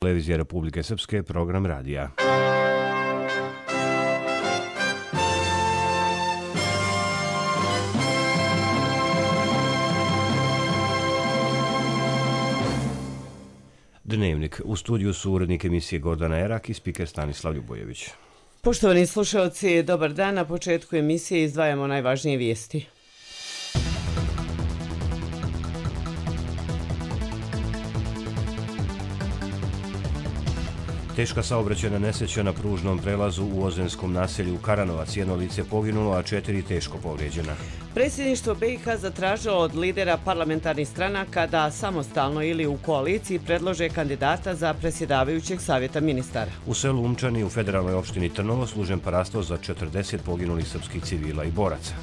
Televizija Republike Srpske, program radija. Dnevnik. U studiju su urednik emisije Gordana Erak i spiker Stanislav Ljubojević. Poštovani slušalci, dobar dan. Na početku emisije izdvajamo najvažnije vijesti. Teška saobraćajna nesreća na pružnom prelazu u Ozrenskom naselju Karanovac. Jedno lice poginulo, a 4 teško povrijeđena. Predsjedništvo BiH zatražilo od lidera parlamentarnih stranaka da samostalno ili u koaliciji predlože kandidata za predsjedavajućeg savjeta ministara. U selu Umčani u federalnoj opštini Trnovo služen parasto za 40 poginulih srpskih civila i boraca.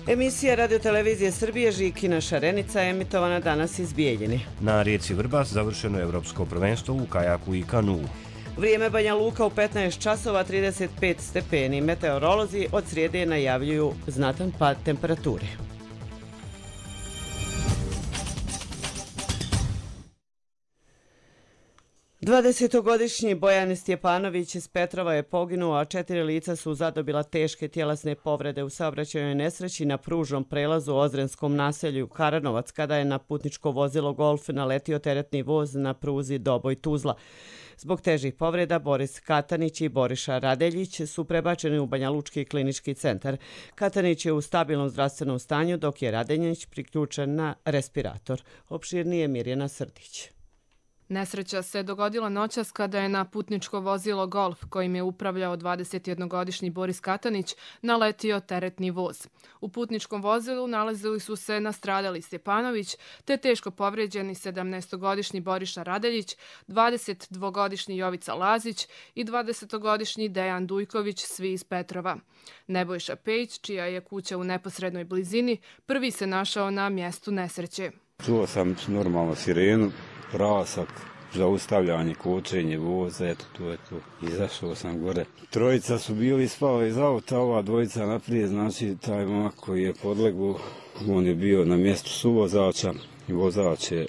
Emisija radiotelevizije Srbije Žikina šarenica je emitovana danas iz Bijeljine. Na rijeci Vrbas završeno je evropsko prvenstvo u kajaku i kanuu. Vrijeme Banja Luka u 15 časova 35 stepeni. Meteorolozi od srijede najavljuju znatan pad temperature. Dvadesetogodišnji Bojan Stjepanović iz Petrova je poginuo, a 4 lica su zadobila teške tjelesne povrede u saobraćajnoj nesreći na pružnom prelazu u Ozrenskom naselju Karanovac kada je na putničko vozilo Golf naletio teretni voz na pruzi Doboj-Tuzla. Zbog težih povreda Boris Katanić i Boriša Radeljić su prebačeni u Banjalučki klinički centar. Katanić je u stabilnom zdravstvenom stanju, dok je Radeljić priključen na respirator. Opširnije Mirjana Srdić. Nesreća se dogodila noćas kada je na putničko vozilo Golf, kojim je upravljao 21-godišnji Boris Katanić, naletio teretni voz. U putničkom vozilu nalazili su se nastradali Stjepanović, te teško povrijeđeni 17-godišnji Boriša Radeljić, 22-godišnji Jovica Lazić i 20-godišnji Dejan Dujković, svi iz Petrova. Nebojša Pejić, čija je kuća u neposrednoj blizini, prvi se našao na mjestu nesreće. Čuo sam normalno sirenu, prasak, zaustavljanje, kočenje voza, eto to. Izašao sam gore. Trojica su bili spali iz auta, ova dvojica naprijed, znači taj momak koji je podlegao, on je bio na mjestu suvozača i vozač je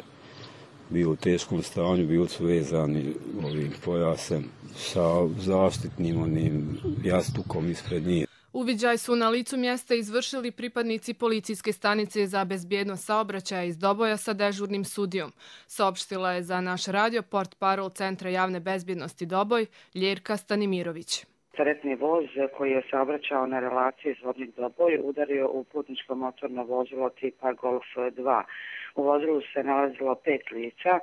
bio u teškom stanju, bili su vezani ovim pojasem sa zaštitnim onim jastukom ispred njih. Uviđaj su na licu mjesta izvršili pripadnici policijske stanice za bezbjednost saobraćaja iz Doboja sa dežurnim sudijom. Saopštila je za naš radio portparol Centra javne bezbjednosti Doboj Ljerka Stanimirović. Teretni voz koji je saobraćao na relaciji Zvornik-Doboj udario u putničko motorno vozilo tipa Golf 2. U vozilu se nalazilo 5 lica,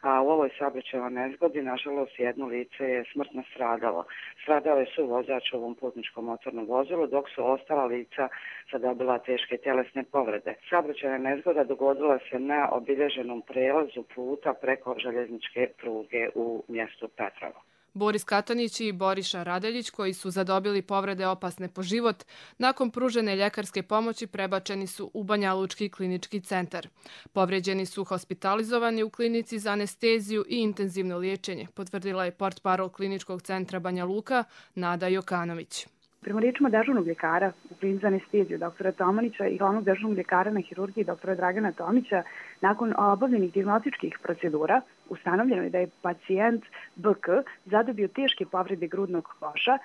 a u ovoj saobraćajnoj nezgodi, nažalost, jedno lice je smrtno stradalo. Stradao je suvozač u ovom putničkom motornom vozilu, dok su ostala lica zadobila teške tjelesne povrede. Saobraćajna nezgoda dogodila se na obilježenom prelazu puta preko željezničke pruge u mjestu Petrovo. Boris Katanić i Boriša Radeljić, koji su zadobili povrede opasne po život, nakon pružene ljekarske pomoći prebačeni su u Banjalučki klinički centar. Povrijeđeni su hospitalizovani u klinici za anesteziju i intenzivno liječenje, potvrdila je portparol kliničkog centra Banja Luka Nada Jokanović. Prema riječima dežurnog ljekara u klinici za anesteziju dr. Tomanića i glavnog dežurnog ljekara na hirurgiji dr. Dragana Tomića, nakon obavljenih dijagnostičkih procedura ustanovljeno je da je pacijent BK zadobio teške povrede grudnog koša,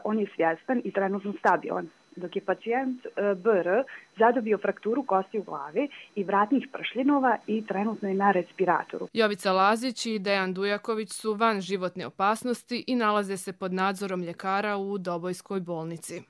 on je svjestan i trenutno stabilan, dok je pacijent BR zadobio frakturu kosti u glavi i vratnih pršljenova i trenutno je na respiratoru. Jovica Lazić i Dejan Dujaković su van životne opasnosti i nalaze se pod nadzorom ljekara u Dobojskoj bolnici.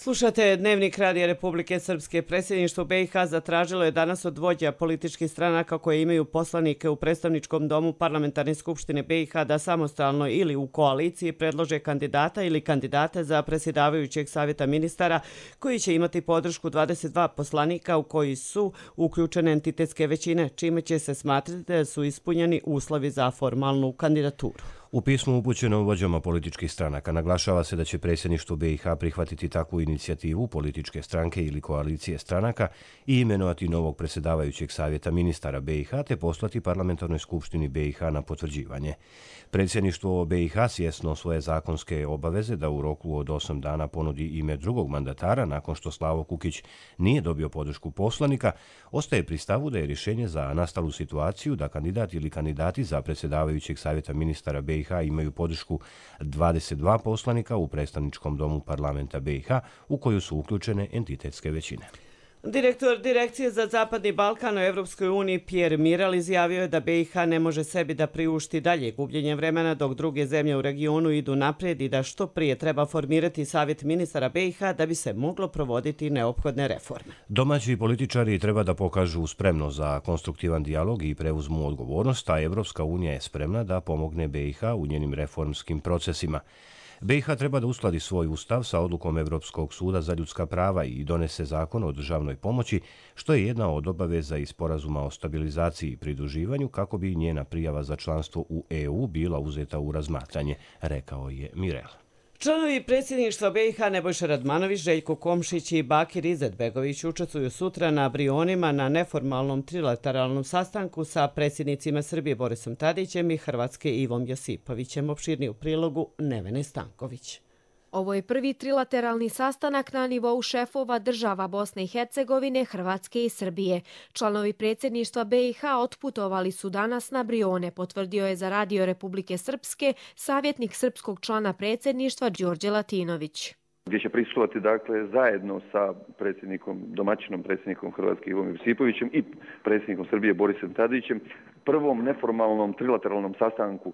Slušate Dnevnik Radija Republike Srpske. Predsjedništvo BiH zatražilo je danas od vođa političkih stranaka koje imaju poslanike u predstavničkom domu Parlamentarne skupštine BiH da samostalno ili u koaliciji predlože kandidata ili kandidate za predsjedavajućeg savjeta ministara koji će imati podršku 22 poslanika u koji su uključene entitetske većine, čime će se smatrati da su ispunjeni uslovi za formalnu kandidaturu. U pismu upućenom vođama političkih stranaka naglašava se da će predsjedništvo BiH prihvatiti takvu inicijativu političke stranke ili koalicije stranaka i imenovati novog predsjedavajućeg savjeta ministara BiH te poslati parlamentarnoj skupštini BiH na potvrđivanje. Predsjedništvo BiH svjesno svoje zakonske obaveze da u roku od 8 dana ponudi ime drugog mandatara nakon što Slavo Kukić nije dobio podršku poslanika, ostaje pri stavu da je rješenje za nastalu situaciju da kandidat ili kandidati za predsjedavajućeg savjeta ministara BiH imaju podršku 22 poslanika u predstavničkom domu parlamenta BiH u koju su uključene entitetske većine. Direktor Direkcije za Zapadni Balkan u Evropskoj uniji Pierre Miral izjavio je da BiH ne može sebi da priušti dalje gubljenje vremena dok druge zemlje u regionu idu naprijed i da što prije treba formirati savjet ministara BiH da bi se moglo provoditi neophodne reforme. Domaći političari treba da pokažu spremnost za konstruktivan dijalog i preuzmu odgovornost, a Evropska unija je spremna da pomogne BiH u njenim reformskim procesima. BiH treba da uskladi svoj ustav sa odlukom Evropskog suda za ljudska prava i donese zakon o državnoj pomoći, što je jedna od obaveza iz sporazuma o stabilizaciji i pridruživanju kako bi njena prijava za članstvo u EU bila uzeta u razmatranje, rekao je Mirel. Članovi predsjedništva BiH Nebojša Radmanović, Željko Komšić i Bakir Izetbegović učestvuju sutra na Brionima na neformalnom trilateralnom sastanku sa predsjednicima Srbije Borisom Tadićem i Hrvatske Ivom Josipovićem. Opširniji u prilogu Nevene Stanković. Ovo je prvi trilateralni sastanak na nivou šefova država Bosne i Hercegovine, Hrvatske i Srbije. Članovi predsjedništva BiH otputovali su danas na Brione, potvrdio je za Radio Republike Srpske savjetnik srpskog člana predsjedništva Đorđe Latinović. Gdje će prisustvovati dakle zajedno sa domaćinom predsjednikom Hrvatske Ivom Josipovićem i predsjednikom Srbije Borisom Tadićem, prvom neformalnom trilateralnom sastanku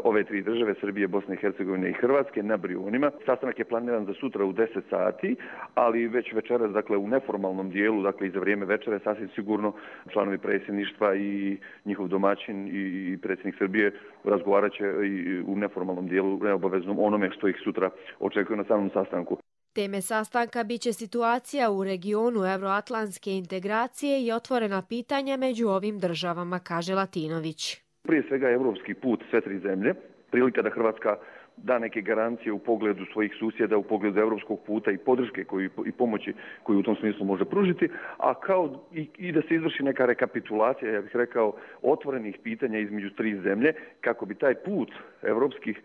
ove tri države, Srbije, Bosne i Hercegovine i Hrvatske, na Brionima. Sastanak je planiran za sutra u 10 sati, ali već večeras, dakle u neformalnom dijelu, dakle i za vrijeme večere, sasvim sigurno članovi predsjedništva i njihov domaćin i predsjednik Srbije razgovarat će i u neformalnom dijelu neobaveznom onome što ih sutra očekuje na samom sastanku. Teme sastanka biće situacija u regionu euroatlantske integracije i otvorena pitanja među ovim državama, kaže Latinović. Prije svega evropski put sve tri zemlje, prilika da Hrvatska da neke garancije u pogledu svojih susjeda, u pogledu evropskog puta i podrške i pomoći koju u tom smislu može pružiti, a kao i da se izvrši neka rekapitulacija, ja bih rekao, otvorenih pitanja između tri zemlje, kako bi taj put evropskih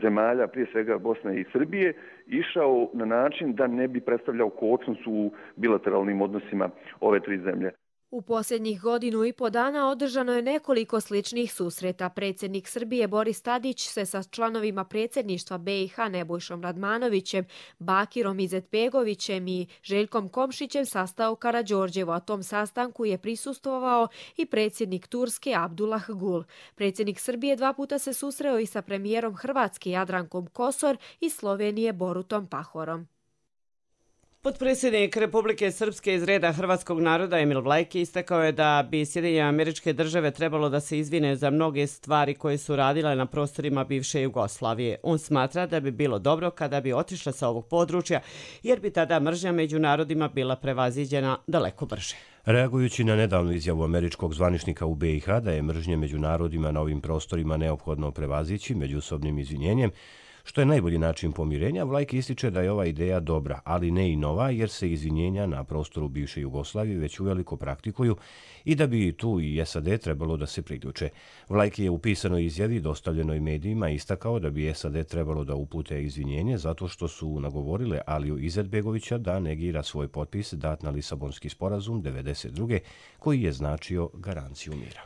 zemalja, prije svega Bosne i Srbije, išao na način da ne bi predstavljao kočnicu u bilateralnim odnosima ove tri zemlje. U posljednjih 1,5 dana održano je nekoliko sličnih susreta. Predsjednik Srbije Boris Tadić se sa članovima predsjedništva BiH Nebojšom Radmanovićem, Bakirom Izetbegovićem i Željkom Komšićem sastao u Karađorđevu, a tom sastanku je prisustvovao i predsjednik Turske Abdullah Gul. Predsjednik Srbije 2 puta se susreo i sa premijerom Hrvatske Jadrankom Kosor i Slovenije Borutom Pahorom. Potpredsjednik Republike Srpske iz reda hrvatskog naroda Emil Vlajki istakao je da bi Sjedinjene Američke Države trebalo da se izvine za mnoge stvari koje su radile na prostorima bivše Jugoslavije. On smatra da bi bilo dobro kada bi otišla sa ovog područja, jer bi tada mržnja među narodima bila prevaziđena daleko brže. Reagujući na nedavnu izjavu američkog zvaničnika u BiH da je mržnje među narodima na ovim prostorima neophodno prevazići međusobnim izvinjenjem, što je najbolji način pomirenja, Vlajki ističe da je ova ideja dobra, ali ne i nova, jer se izvinjenja na prostoru bivše Jugoslavije već uveliko praktikuju i da bi tu i SAD trebalo da se priključe. Vlajki je u pisanoj izjavi dostavljenoj medijima istakao da bi SAD trebalo da upute izvinjenje zato što su nagovorile Aliju Izetbegovića da negira svoj potpis dat na Lisabonski sporazum 1992. koji je značio garanciju mira.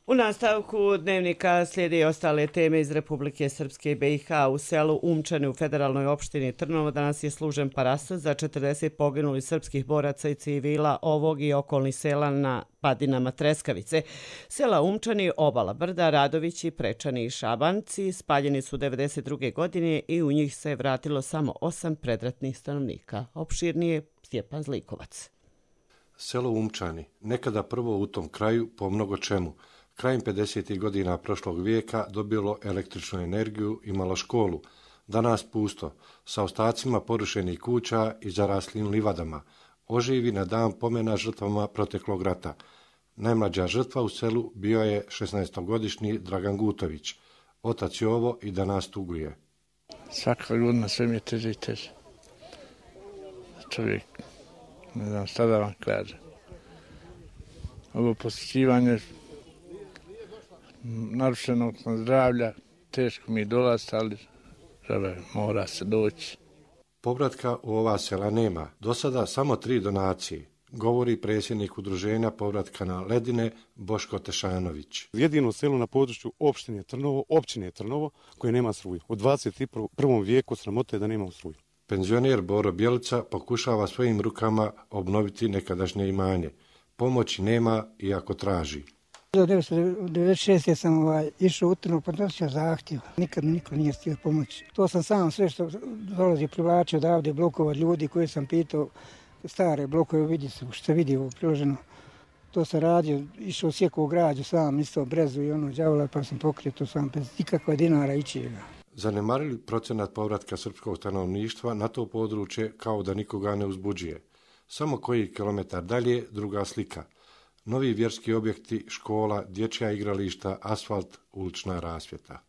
U nastavku dnevnika slijede i ostale teme iz Republike Srpske i BiH. U selu Umčani u federalnoj opštini Trnovo danas je služen parastos za 40 poginulih srpskih boraca i civila ovog i okolnih sela na padinama Treskavice. Sela Umčani, Obala Brda, Radovići, Prečani i Šabanci spaljeni su 1992. godine i u njih se vratilo samo 8 predratnih stanovnika. Opširnije Stjepan Zlikovac. Selo Umčani, nekada prvo u tom kraju po mnogo čemu, krajem 50. godina prošlog vijeka dobilo električnu energiju, imalo školu. Danas pusto, sa ostacima porušenih kuća i zaraslim livadama. Oživi na dan pomena žrtvama proteklog rata. Najmlađa žrtva u selu bio je 16-godišnji Dragan Gutović. Otac je ovo i da nas tuguje. Svaka godina sve mi je teže i teže. Čovjek, ne znam šta da vam kažem. Ovo posjećivanje narušenog zdravlja, teško mi dolazi, ali mora se doći. Povratka u ova sela nema. Do sada samo 3 donacije, govori predsjednik udruženja povratka na ledine Boško Tešanović. Jedino selo na području općine Trnovo koje nema struju. U 21. vijeku sramote da nema struju. Penzioner Boro Bjelica pokušava svojim rukama obnoviti nekadašnje imanje. Pomoći nema iako traži. 1996. sam išao u Trnovo, podnosio zahtjev. Nikad mi niko nije htio pomoći. To sam sam sve što dolazi privlačio odavde blokova ljudi koje sam pitao, stare blokove, vidi se, što se vidi ovo priloženo. To sam radio, išao sjekao građu sam, isto brezu i ono đavola, pa sam pokrio to sam bez ikakva dinara ičijega. Zanemarili procenat povratka srpskog stanovništva na to područje kao da nikoga ne uzbuđuje. Samo koji kilometar dalje druga slika. Novi vjerski objekti, škola, dječja igrališta, asfalt, ulična rasvjeta.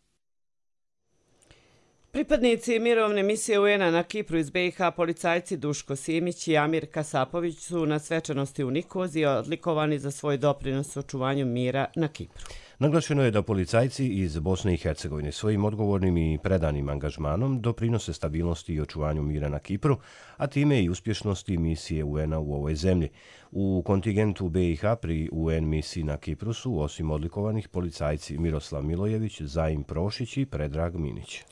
Pripadnici mirovne misije UN-a na Kipru iz BiH, policajci Duško Simić i Amir Kasapović su na svečanosti u Nikoziji odlikovani za svoj doprinos očuvanju mira na Kipru. Naglašeno je da policajci iz Bosne i Hercegovine svojim odgovornim i predanim angažmanom doprinose stabilnosti i očuvanju mira na Kipru, a time i uspješnosti misije UN-a u ovoj zemlji. U kontingentu BiH pri UN misiji na Kipru su osim odlikovanih policajci Miroslav Milojević, Zaim Prošić i Predrag Minić.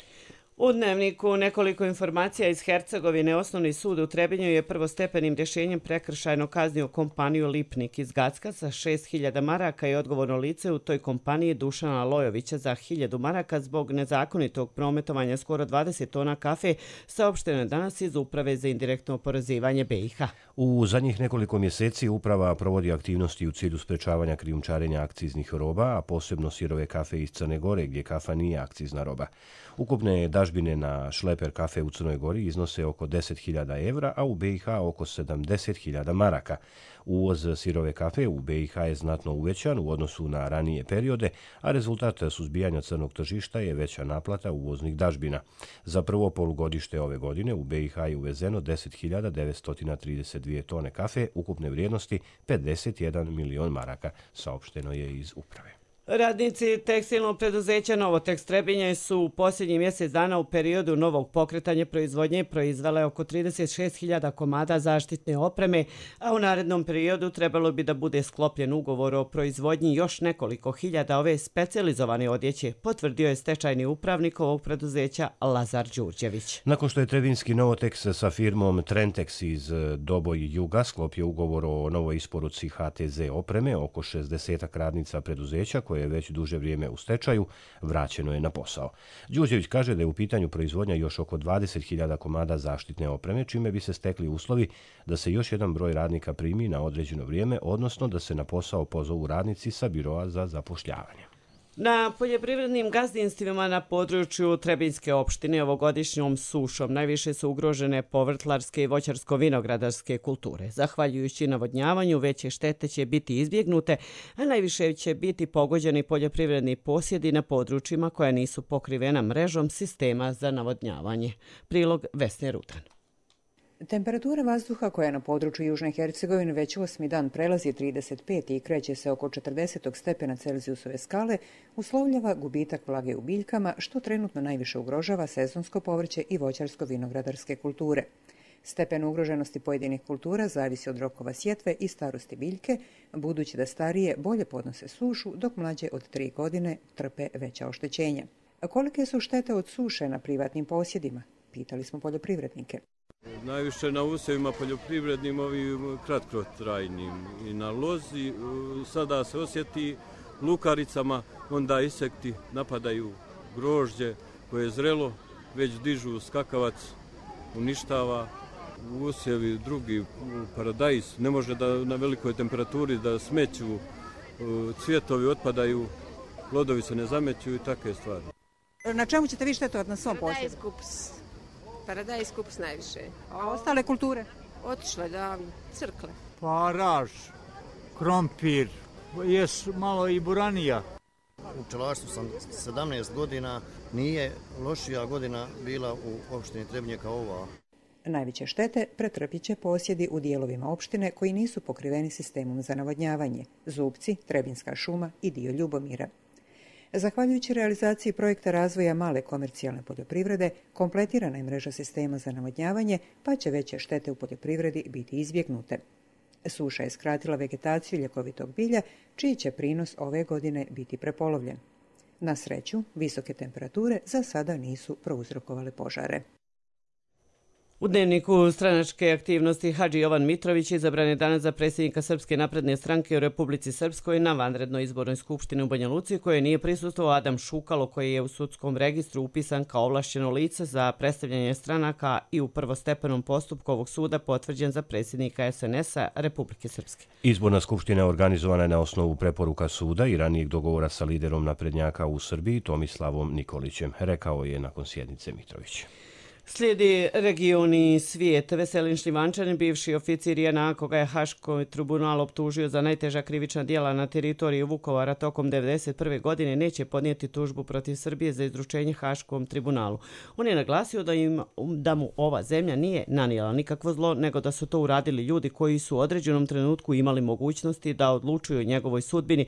U Dnevniku nekoliko informacija iz Hercegovine. Osnovni sud u Trebinju je prvostepenim rješenjem prekršajno kaznio kompaniju Lipnik iz Gacka sa 6.000 maraka i odgovorno lice u toj kompaniji Dušana Lojovića za 1.000 maraka zbog nezakonitog prometovanja skoro 20 tona kafe, saopšteno je danas iz Uprave za indirektno oporezivanje BiH. U zadnjih nekoliko mjeseci uprava provodi aktivnosti u cilju sprečavanja krijumčarenja akciznih roba, a posebno sirove kafe iz Crne Gore gdje kafa nije akcizna roba. Ukupne dažbine na šleper kafe u Crnoj Gori iznose oko 10.000 evra, a u BiH oko 70.000 maraka. Uvoz sirove kafe u BiH je znatno uvećan u odnosu na ranije periode, a rezultat suzbijanja crnog tržišta je veća naplata uvoznih dažbina. Za prvo polugodište ove godine u BiH je uvezeno 10.932 tone kafe ukupne vrijednosti 51 milion maraka, saopšteno je iz uprave. Radnici tekstilnog preduzeća Novotekst Trebinje su u posljednjih mjesec dana u periodu novog pokretanja proizvodnje proizvele oko 36.000 komada zaštitne opreme, a u narednom periodu trebalo bi da bude sklopljen ugovor o proizvodnji još nekoliko hiljada ove specijalizovane odjeće, potvrdio je stečajni upravnik ovog preduzeća Lazar Đurđević. Nakon što je trebinski Novotekst sa firmom Trentex iz Doboj Juga sklopio ugovor o novoj isporuci HTZ opreme, oko 60 radnica preduzeća koje je već duže vrijeme u stečaju, vraćeno je na posao. Đurđević kaže da je u pitanju proizvodnja još oko 20.000 komada zaštitne opreme, čime bi se stekli uslovi da se još jedan broj radnika primi na određeno vrijeme, odnosno da se na posao pozovu radnici sa biroa za zapošljavanje. Na poljoprivrednim gazdinstvima na području Trebinjske opštine ovogodišnjom sušom najviše su ugrožene povrtlarske i voćarsko-vinogradarske kulture. Zahvaljujući navodnjavanju, veće štete će biti izbjegnute, a najviše će biti pogođeni poljoprivredni posjedi na područjima koja nisu pokrivena mrežom sistema za navodnjavanje. Prilog Vesne Rudan. Temperatura vazduha koja na području Južne Hercegovine već 8. dan prelazi 35 i kreće se oko 40 stepena Celzijusove skale, uslovljava gubitak vlage u biljkama, što trenutno najviše ugrožava sezonsko povrće i voćarsko-vinogradarske kulture. Stepen ugroženosti pojedinih kultura zavisi od rokova sjetve i starosti biljke, budući da starije bolje podnose sušu, dok mlađe od 3 godine trpe veća oštećenja. A kolike su štete od suše na privatnim posjedima? Pitali smo poljoprivrednike. Najviše na usjevima poljoprivrednim, ovim kratkotrajnim i na lozi. Sada se osjeti lukaricama, onda insekti napadaju grožđe koje je zrelo, već dižu skakavac, uništava. Usjevi drugi, paradajz, ne može da na velikoj temperaturi da smeću, cvjetovi otpadaju, plodovi se ne zameću i takve stvari. Na čemu ćete vi štetovati na svom posjedu? Paradajz kupus najviše. A ostale kulture? Otišle davno, crkle. Paraž, krompir, jes malo i buranija. u pčelarstvu sam 17 godina, nije lošija godina bila u opštini Trebinje kao ova. Najveće štete pretrpit će posjedi u dijelovima opštine koji nisu pokriveni sistemom za navodnjavanje, Zubci, Trebinska šuma i dio Ljubomira. Zahvaljujući realizaciji projekta razvoja male komercijalne poljoprivrede, kompletirana je mreža sistema za navodnjavanje, pa će veće štete u poljoprivredi biti izbjegnute. Suša je skratila vegetaciju ljekovitog bilja, čiji će prinos ove godine biti prepolovljen. Na sreću, visoke temperature za sada nisu prouzrokovale požare. U dnevniku stranačke aktivnosti Hadži Jovan Mitrović izabran je danas za predsjednika Srpske napredne stranke u Republici Srpskoj na vanrednoj izbornoj skupštini u Banja Luci, koje nije prisustvovao Adam Šukalo, koji je u sudskom registru upisan kao ovlašćeno lice za predstavljanje stranaka i u prvostepenom postupku ovog suda potvrđen za predsjednika SNS-a Republike Srpske. Izborna skupština je organizovana na osnovu preporuka suda i ranijeg dogovora sa liderom naprednjaka u Srbiji Tomislavom Nikolićem, rekao je nakon sjednice Mitrović. Slijedi regioni svijet. Veselin Šljivančanin, bivši oficir JNA, koga je Haški tribunal optužio za najteža krivična djela na teritoriji Vukovara tokom 1991. godine, neće podnijeti tužbu protiv Srbije za izručenje Haškom tribunalu. On je naglasio da mu ova zemlja nije nanijela nikakvo zlo, nego da su to uradili ljudi koji su u određenom trenutku imali mogućnosti da odlučuju o njegovoj sudbini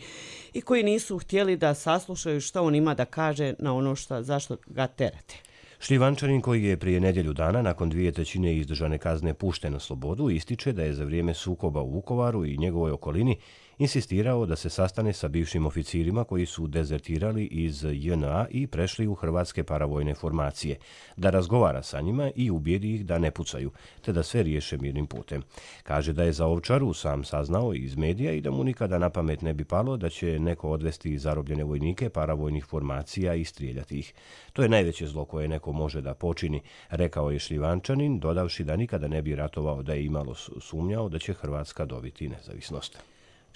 i koji nisu htjeli da saslušaju što on ima da kaže na ono zašto ga terate. Šljivančanin, koji je prije nedjelju dana nakon 2/3 izdržane kazne pušten na slobodu, ističe da je za vrijeme sukoba u Vukovaru i njegovoj okolini insistirao da se sastane sa bivšim oficirima koji su dezertirali iz JNA i prešli u hrvatske paravojne formacije, da razgovara sa njima i ubijedi ih da ne pucaju, te da sve riješe mirnim putem. Kaže da je za Ovčaru sam saznao iz medija i da mu nikada na pamet ne bi palo da će neko odvesti zarobljene vojnike paravojnih formacija i strijeljati ih. To je najveće zlo koje neko može da počini, rekao je Šljivančanin, dodavši da nikada ne bi ratovao da je imalo sumnjao da će Hrvatska dobiti nezavisnost.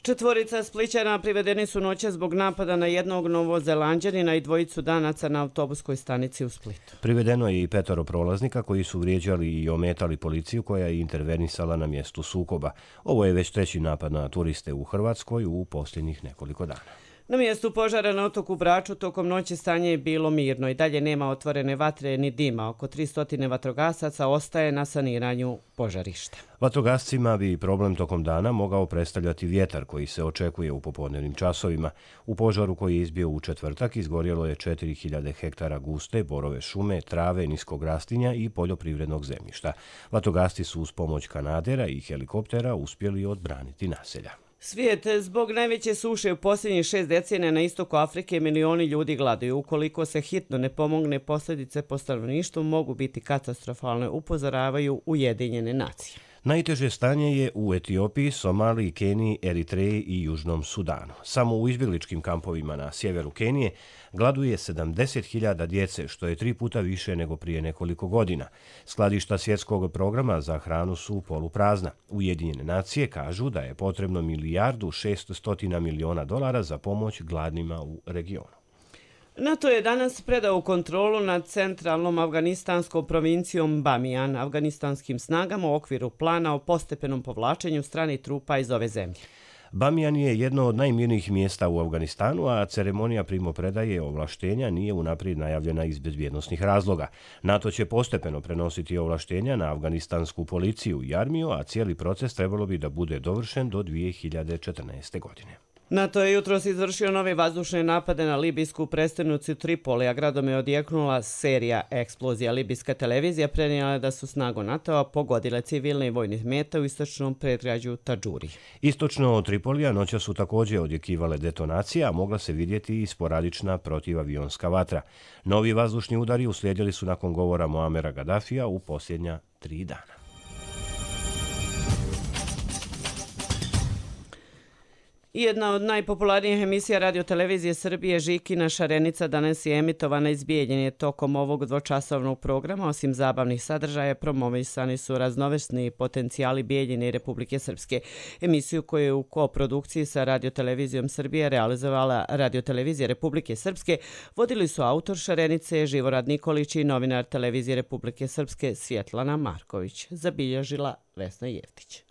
4 Splićana privedeni su noćas zbog napada na jednog Novozelanđanina i 2 Danaca na autobuskoj stanici u Splitu. Privedeno je i 5 prolaznika koji su vrijeđali i ometali policiju koja je intervenisala na mjestu sukoba. Ovo je već 3. napad na turiste u Hrvatskoj u posljednjih nekoliko dana. Na mjestu požara na otoku Braču tokom noći stanje je bilo mirno i dalje nema otvorene vatre ni dima. Oko 300 vatrogasaca ostaje na saniranju požarišta. Vatrogascima bi problem tokom dana mogao predstavljati vjetar koji se očekuje u popodnevnim časovima. U požaru koji je izbio u četvrtak izgorjelo je 4000 hektara guste, borove šume, trave, niskog rastinja i poljoprivrednog zemljišta. Vatrogasci su uz pomoć kanadera i helikoptera uspjeli odbraniti naselja. Svijet, zbog najveće suše u posljednjih 6 decenija na istoku Afrike milioni ljudi gladuju. Ukoliko se hitno ne pomogne, posljedice po stanovništvu mogu biti katastrofalne, upozoravaju Ujedinjene nacije. Najteže stanje je u Etiopiji, Somaliji, Keniji, Eritreji i Južnom Sudanu. Samo u izbjegličkim kampovima na sjeveru Kenije gladuje 70.000 djece, što je 3 puta više nego prije nekoliko godina. Skladišta svjetskog programa za hranu su poluprazna. Ujedinjene nacije kažu da je potrebno $1.6 milijardi za pomoć gladnima u regionu. NATO je danas predao kontrolu nad centralnom afganistanskom provincijom Bamijan afganistanskim snagama u okviru plana o postepenom povlačenju stranih trupa iz ove zemlje. Bamijan je jedno od najmirnijih mjesta u Afganistanu, a ceremonija primopredaje ovlaštenja nije unaprijed najavljena iz bezbjednosnih razloga. NATO će postepeno prenositi ovlaštenja na afganistansku policiju i armiju, a cijeli proces trebalo bi da bude dovršen do 2014. godine. NATO je jutros izvršio nove vazdušne napade na libijsku prestonicu Tripoli, a gradom je odjeknula serija eksplozija. Libijska televizija prenijela da su snagu NATO-a pogodile civilne i vojne mete u istočnom predgrađu Tadžuri. Istočno od Tripolija noća su također odjekivale detonacije, a mogla se vidjeti i sporadična protivavionska vatra. Novi vazdušni udari uslijedili su nakon govora Muamera Gaddafija u posljednja 3 dana. Jedna od najpopularnijih emisija radiotelevizije Srbije, Žikina šarenica, danas je emitovana iz Bijeljine. Tokom ovog dvočasovnog programa, osim zabavnih sadržaja, promovisani su raznovrsni potencijali Bijeljine i Republike Srpske. Emisiju koju je u koprodukciji sa radiotelevizijom Srbije realizovala radiotelevizija Republike Srpske vodili su autor šarenice Živorad Nikolić i novinar televizije Republike Srpske Svjetlana Marković. Zabilježila Vesna Jeftić.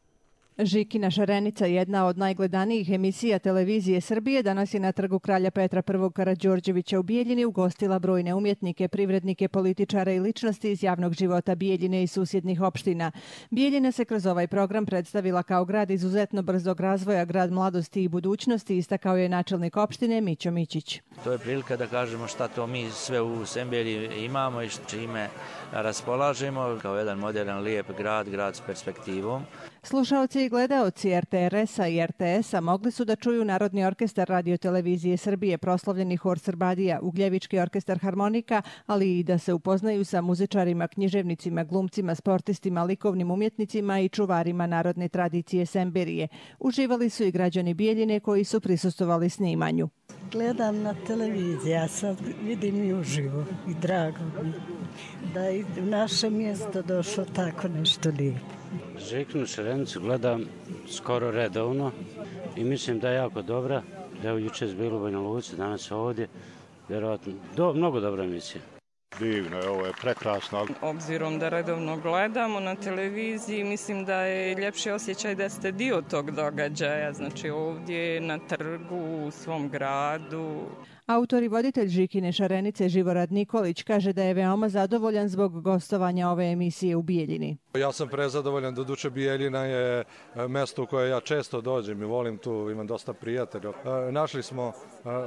Žikina šarenica, jedna od najgledanijih emisija televizije Srbije, danas je na trgu Kralja Petra I. Karađorđevića u Bijeljini ugostila brojne umjetnike, privrednike, političare i ličnosti iz javnog života Bijeljine i susjednih opština. Bijeljina se kroz ovaj program predstavila kao grad izuzetno brzog razvoja, grad mladosti i budućnosti, istakao je načelnik opštine Mićo Mićić. To je prilika da kažemo šta to mi sve u Semberiji imamo i čime raspolažemo kao jedan moderan, lijep grad s perspektivom. Slušaoci i gledaoci RTRS-a i RTS-a mogli su da čuju Narodni orkestar radiotelevizije Srbije, proslavljeni hor Srbadija, Ugljevički orkestar harmonika, ali i da se upoznaju sa muzičarima, književnicima, glumcima, sportistima, likovnim umjetnicima i čuvarima narodne tradicije Semberije. Uživali su i građani Bijeljine koji su prisustvovali snimanju. Gledam na televiziji, a sad vidim i uživo i drago mi da je u naše mjesto došlo tako nešto lijepo. Žikinu šarenicu gledam skoro redovno i mislim da je jako dobra. Evo jučer bilo u Banja Luci, danas ovdje. Vjerojatno, mnogo dobra emisija. Divno je, ovo je prekrasno. Obzirom da redovno gledamo na televiziji, mislim da je ljepši osjećaj da ste dio tog događaja, znači ovdje na trgu, u svom gradu. Autor i voditelj Žikine šarenice Živorad Nikolić kaže da je veoma zadovoljan zbog gostovanja ove emisije u Bijeljini. Ja sam prezadovoljan, doduše Bijeljina je mesto u koje ja često dođem i volim tu, imam dosta prijatelja. Našli smo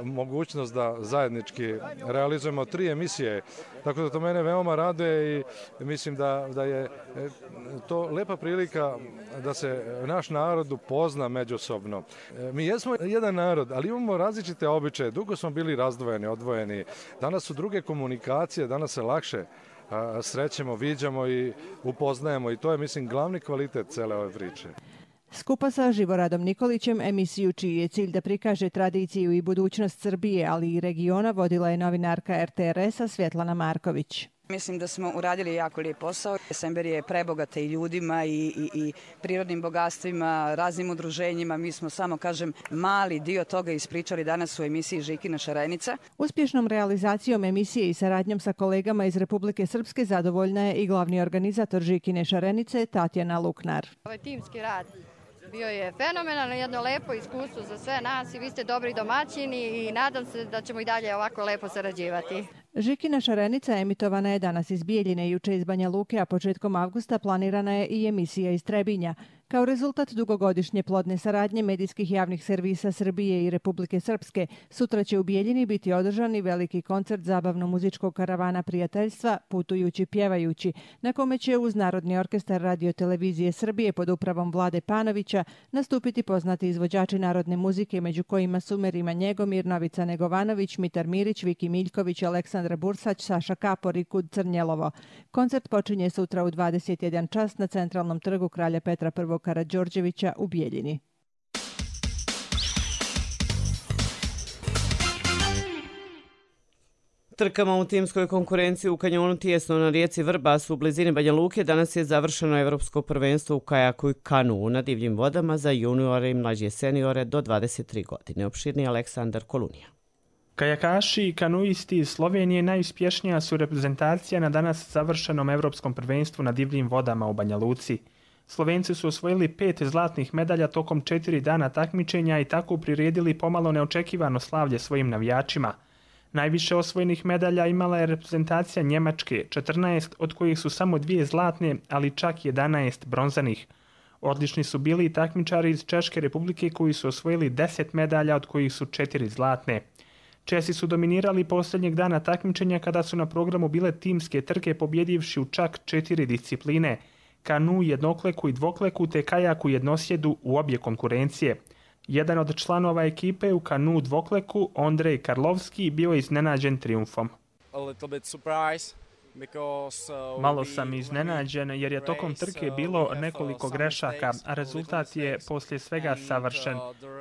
mogućnost da zajednički realizujemo 3 emisije, tako da to mene veoma raduje i mislim da je to lepa prilika da se naš narod upozna međusobno. Mi jesmo jedan narod, ali imamo različite običaje, dugo smo bili razdvojeni, odvojeni. Danas su druge komunikacije, danas se lakše srećemo, viđamo i upoznajemo i to je, mislim, glavni kvalitet cele ove priče. Skupa sa Živoradom Nikolićem emisiju čiji je cilj da prikaže tradiciju i budućnost Srbije, ali i regiona, vodila je novinarka RTRS-a Svjetlana Marković. Mislim da smo uradili jako lijep posao. Semberija je prebogata i ljudima i prirodnim bogatstvima, raznim udruženjima. Mi smo samo, mali dio toga ispričali danas u emisiji Žikina šarenica. Uspješnom realizacijom emisije i saradnjom sa kolegama iz Republike Srpske zadovoljna je i glavni organizator Žikine šarenice Tatjana Luknar. Ovaj timski rad bio je fenomenalno, jedno lepo iskustvo za sve nas i vi ste dobri domaćini i nadam se da ćemo i dalje ovako lepo sarađivati. Žikina šarenica emitovana je danas iz Bijeljine, juče iz Banja Luke, a početkom avgusta planirana je i emisija iz Trebinja. Kao rezultat dugogodišnje plodne saradnje medijskih javnih servisa Srbije i Republike Srpske, sutra će u Bijeljini biti održani veliki koncert zabavno-muzičkog karavana prijateljstva Putujući pjevajući, na kome će uz Narodni orkestar radiotelevizije Srbije pod upravom Vlade Panovića nastupiti poznati izvođači narodne muzike, među kojima su Merima Njegomir, Novica Negovanović, Mitar Mirić, Viki Miljković, Aleksandra Bursać, Saša Kapor i Kud Crnjelovo. Koncert počinje sutra u 21 čas na centralnom trgu Kralja Petra I. Karađorđevića u Bijeljini. Trkama u timskoj konkurenciji u kanjonu Tijesno na rijeci Vrbas u blizini Banja Luke danas je završeno evropsko prvenstvo u kajaku i kanu na divljim vodama za juniore i mlađe seniore do 23 godine. Opširni Aleksandar Kolunija. Kajakaši i kanuisti iz Slovenije najuspješnija su reprezentacija na danas završenom evropskom prvenstvu na divljim vodama u Banja Luci. Slovenci su osvojili 5 zlatnih medalja tokom 4 dana takmičenja i tako priredili pomalo neočekivano slavlje svojim navijačima. Najviše osvojenih medalja imala je reprezentacija Njemačke, 14, od kojih su samo 2 zlatne, ali čak 11 bronzanih. Odlični su bili i takmičari iz Češke republike koji su osvojili 10 medalja, od kojih su 4 zlatne. Česi su dominirali posljednjeg dana takmičenja kada su na programu bile timske trke pobjedivši u čak 4 discipline, kanu, jednokleku i dvokleku te kajaku jednosjedu u obje konkurencije. Jedan od članova ekipe u kanu dvokleku, Ondrej Karlovski, bio je iznenađen triumfom. Malo sam iznenađen jer je tokom trke bilo nekoliko grešaka, a rezultat je poslije svega savršen.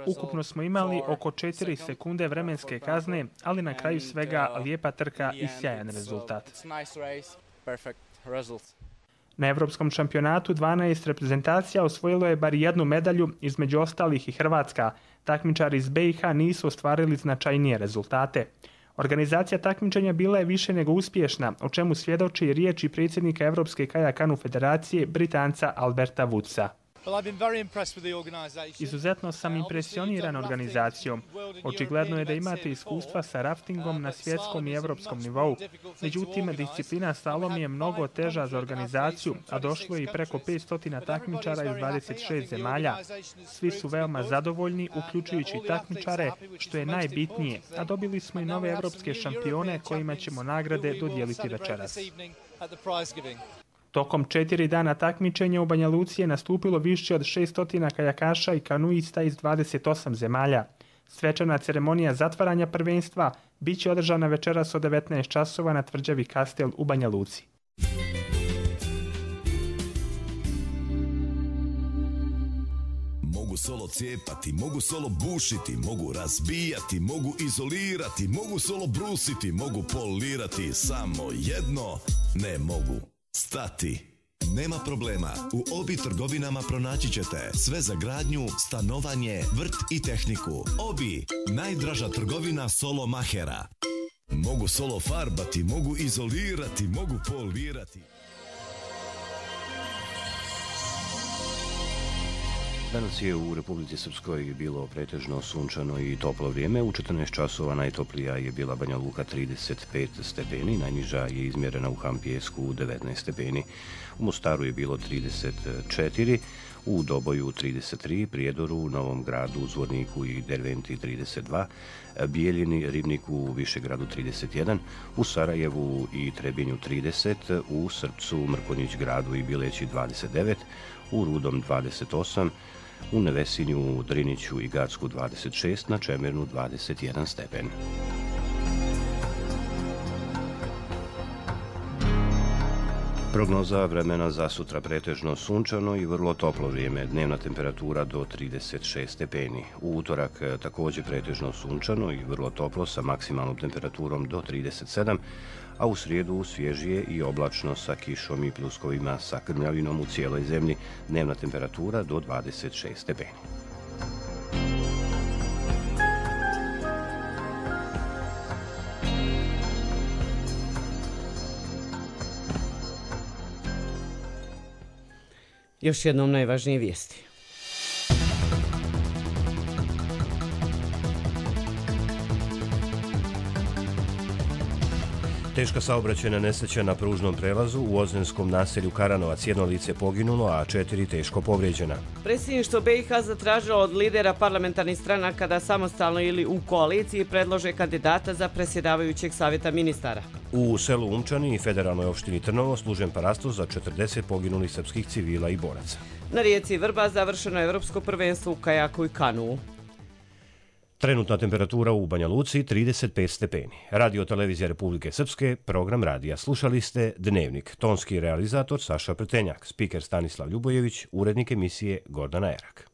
Ukupno smo imali oko 4 sekunde vremenske kazne, ali na kraju svega lijepa trka i sjajan rezultat. Na Evropskom šampionatu 12 reprezentacija osvojilo je bar jednu medalju, između ostalih i Hrvatska. Takmičari iz BiH nisu ostvarili značajnije rezultate. Organizacija takmičenja bila je više nego uspješna, o čemu svjedoči i riječi predsjednika Evropske kajak-kanu federacije, Britanca Alberta Woodsa. Izuzetno sam impresioniran organizacijom. Očigledno je da imate iskustva sa raftingom na svjetskom i evropskom nivou. Međutim, disciplina slalom je mnogo teža za organizaciju, a došlo je i preko 500 takmičara iz 26 zemalja. Svi su veoma zadovoljni, uključujući takmičare, što je najbitnije, a dobili smo i nove evropske šampione kojima ćemo nagrade dodijeliti večeras. Tokom 4 dana takmičenja u Banja Luci je nastupilo više od 600 kajakaša i kanuista iz 28 zemalja. Svečana ceremonija zatvaranja prvenstva biće održana večeras od 19 časova na tvrđavi Kastel u Banja Luci. Mogu solo cijepati, mogu solo bušiti, mogu razbijati, mogu izolirati, mogu solo brusiti, mogu polirati, samo jedno ne mogu. Stati. Nema problema, u Obi trgovinama pronaći ćete sve za gradnju, stanovanje, vrt i tehniku. Obi, najdraža trgovina solo mahera. Mogu solo farbati, mogu izolirati, mogu polirati. Danas je u Republici Srpskoj bilo pretežno sunčano i toplo vrijeme. U 14 časova najtoplija je bila Banja Luka 35 stepeni, najniža je izmjerena u Hampijesku 19 stepeni. U Mostaru je bilo 34, u Doboju 33, Prijedoru, Novom Gradu, Zvorniku i Derventi 32, Bijeljini, Ribniku, Višegradu 31, u Sarajevu i Trebinju 30, u Srpcu, Mrkonjić Gradu i Bileći 29, u Rudom 28, u Nevesinju, Driniću i Gacku 26, na Čemernu 21 stepen. Prognoza vremena za sutra pretežno sunčano i vrlo toplo vrijeme, dnevna temperatura do 36 stepeni. U utorak također pretežno sunčano i vrlo toplo sa maksimalnom temperaturom do 37, a u srijedu svježije i oblačno sa kišom i pljuskovima sa krmljavinom u cijeloj zemlji, dnevna temperatura do 26 stepeni. Još jednom najvažnije vijesti. Teška saobraćajna nesreća na pružnom prelazu u ozrenskom naselju Karanovac, 1 lice poginulo, a 4 teško povrijeđena. Predsjedništvo BiH zatražilo od lidera parlamentarnih stranaka da samostalno ili u koaliciji predlože kandidata za predsjedavajućeg savjeta ministara. U selu Umčani i federalnoj opštini Trnovo služen parastos za 40 poginulih srpskih civila i boraca. Na rijeci Vrba završeno je evropsko prvenstvo u kajaku i kanuu. Trenutna temperatura u Banja Luci 35 stepeni. Radio Televizija Republike Srpske, program radija. Slušali ste Dnevnik. Tonski realizator Saša Pretenjak, spiker Stanislav Ljubojević, urednik emisije Gordana Erak.